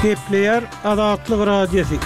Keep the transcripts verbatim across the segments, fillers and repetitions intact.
Gepleýär Azatlyk Radiosy.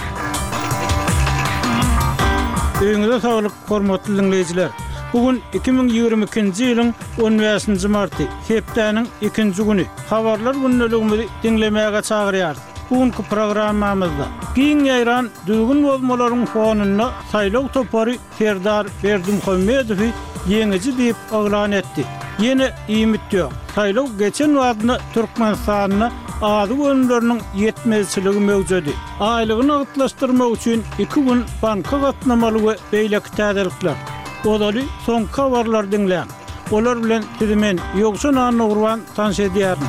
Öýüňize saglyk, hormatly diňleýjiler. Bu gün iki müň ýigrimi ikinji ýylyň on bäşinji marty, hepdäniň ikinji güni. Habarlar gündeligimizi diňlemäge çagyrýarys. Bu günki programmamyzda giň ýaýran düzgün bozmalaryň fonunda saýlaw topary Serdar Berdimuhamedowy ýeňiji diýip yglan etdi. Ýene iýmit ýok. Saýlaw geçen wagtynda Türkmenistanda azyk önümleriniň ýetmezçiligi möwjedi. Aýlygy nagtlaşdyrmak üçin iki gün banka gatnamaly we beýleki täzelikler. Ozaly soňky habarlary diňläň. Olar bilen sizi men, Ýowşan Annagurban tanyş edýärin.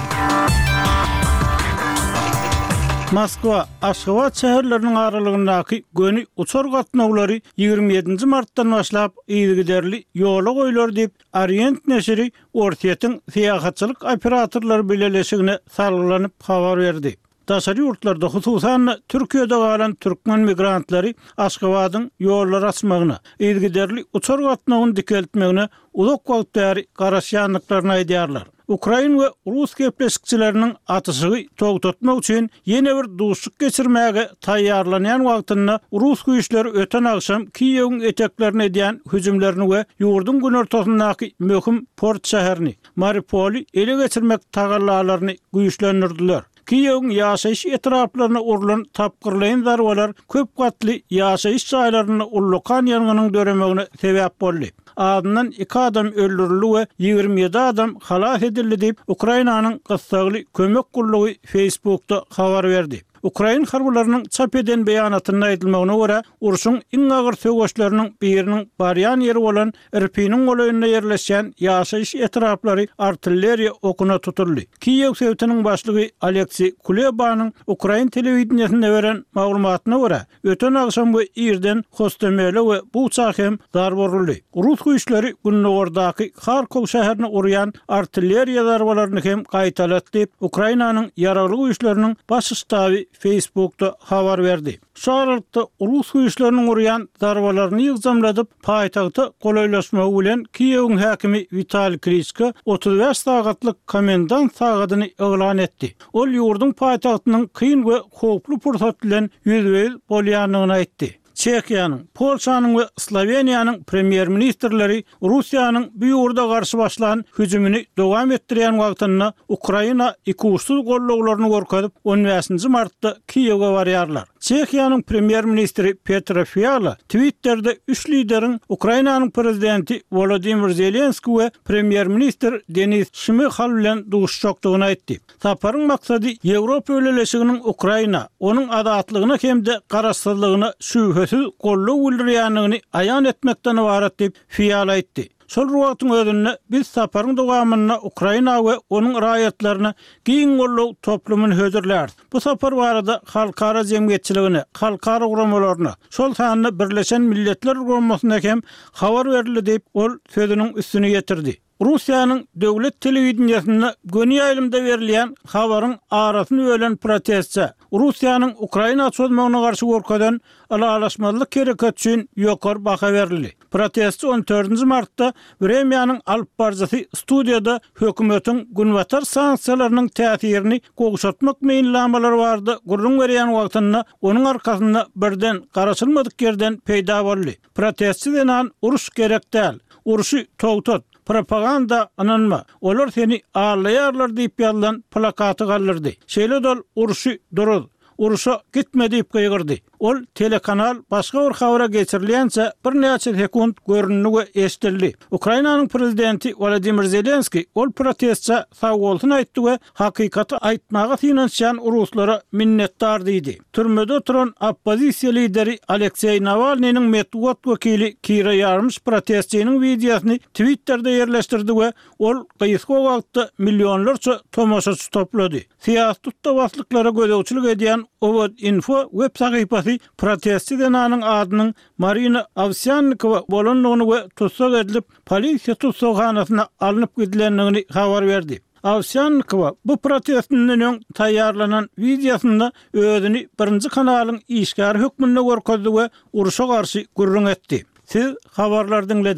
Moskwa, Aşgabat şäherleriniň aralygyndaky göni uçar gatnawlary ýigrimi ýedinji martdan başlap yzygiderli ýola goýlar diýip, Orient neşiri Orsýetiň syýahatçylyk operatorlary bileleşigine salgylanyp habar berdi. Daşary ýurtlarda, hususan-da, Türkiýede galan türkmen migrantlary Aşgabadyň ýollary açmagyna, yzygiderli uçar gatnawyny dikeltmegine uzak wagt bäri garaşýandyklaryny aýdýarlar. Ukrain we rus gepleşikçileriniň atyşygy togtatmak üçin ýene bir duşuşyk geçirmäge taýýarlanýan wagtynda rus güýçleri öten agşam Kiýewiň eteklerine edýän hüjümlerini we ýurduň günortasyndaky möhüm port şäherini, Mariupoly ele geçirmek tagallalaryny güýçlendirdiler. Kiýewiň ýaşaýyş etraplaryna urlan tapgyrlaýyn zarbalar köp gatly ýaşaýyş jaýlarynda ullakan ýangynyň döremegine sebäp boldy. Azyndan iki adam öldürildi we ýigrimi ýedi adam halas edildi diýip, Ukrainanyň gyssagly kömek gullugy Facebookda habar berdi. Ukrain harbylarynyň çap eden beýanatynda aýdylmagyna görä, urşuň iň agyr söweşleriniň biriniň barýan ýeri bolan Irpiniň golaýynda ýerleşýän ýaşaýyş etraplary artilleriýa okuna tutuldy. Kiýew sebitiniň başlygy Oleksiý Kulebanyň ukrain telewideniýesinde beren maglumatyna görä, öten agşam we irden Hostomele we Buça hem zarba uruldy. Rus güýçleri gündogardaky Harkow şäherine urýan artilleriýa zarbalaryny hem gaýtalady diýip, Ukrainanyň Ýaragly güýçleriniň Baş ştaby Facebookda habar berdi. Şu aralykda, rus güýçleriniň urýan zarbalaryny ýygjamladyp, paýtagta golaýlaşmagy bilen Kiýewiň häkimi Witaliý Kliçko otuz bäş sagatlyk komendant sagadyny yglan etdi. Ol ýurduň paýtagtynyň kyn we howply pursat bilen ýüzbe-ýüz bolýandygyny aýtdy. Çehiýanyň, Polşanyň we Sloweniýanyň premýer-ministrleri Russiýanyň bu ýurda garşy başlan hüjümini dowam etdirýän wagtynda Ukraina ikuçsuz gollawlaryny görkezip, on bäşinji martda Kiýewe barýarlar. Çehiýanyň premýer-ministri Petr Fiala Twitterde üç lideriň Ukrainanyň prezidenti Wolodymyr Zelenskiý we premýer-ministr Denis Şmyhal bilen duşuşjakdygyny aýtdy. Saparyň maksady Ýewropa Bileleşiginiň Ukraina, onuň azatlygyna hem-de garaşsyzlygyna şübhesiz goldaw bildirýändigini aýan etmekden ybarat diýip, Fiala aýtdy. Şol bir wagtyň özünde, biz saparyň dowamynda Ukraina we onuň raýatlaryna giň goldaw toplumyny hödürläris. Bu sapar barada halkara jemgyýetçiligine, halkara guramalaryna, şol sanda Birleşen Milletler Guramasyna hem habar berildi diýip, ol sözüniň üstüni ýetirdi. Russiýanyň döwlet telewideniýesinde göni ýaýlymda berilýän habaryň arasyny bölen protestçä, Russiýanyň Ukraina çozmagyna garşy görkezen ylalaşmazlyk hereketi üçin ýokary baha berildi. Protestçi on dördünji martda Wremýanyň alypbaryjysy studiýada hökümetiň günbatar sanksiýalarynyň täsirini gowşatmak meýilnamalary barada gürrüň berýän wagtynda onuň arkasynda birden garaşylmadyk ýerden peýda boldy. Protestçi zenan uruş gerek däl, urşy togtat, propaganda ynanma, olar seni aldaýarlar diýip ýazylan plakaty galdyrdy. Şeýle-de ol urşy duruz, urşa gitme diýip gygyrdy. Ol telekanal başga bir habara geçirilýänçä birnäçe sekunt göründi we eşidildi. Ukrainanyň prezidenti Wolodymyr Zelenskiý ol protestçä sagbolsun aýtdy we hakykaty aýtmaga synanyşýan ruslara minnetdar diýdi. Türmede oturan oppozisiýa lideri Alekseý Nawalnynyň metbugat wekili Kira Ýarmyş protestçiniň wideosyny Twitterde ýerleşdirdi we ol gysga wagtda millionlarça tomaşaçy toplady. Syýasy tutda-baslyklara gözegçilik edýän Owod-info web sahypasy protestçi zenanyň adynyň Marina Owsýannikowa bolandygyny we tussag edilip, polisiýa tussaghanasyna alnyp gidilendigini habar berdi. Owsýannikowa bu protestinden öň taýýarlanan wideosynda özüni Birinji kanalyň işgäri hökmünde görkezdi we urşa garşy gürrüň etdi. Siz habarlary diňlediňiz.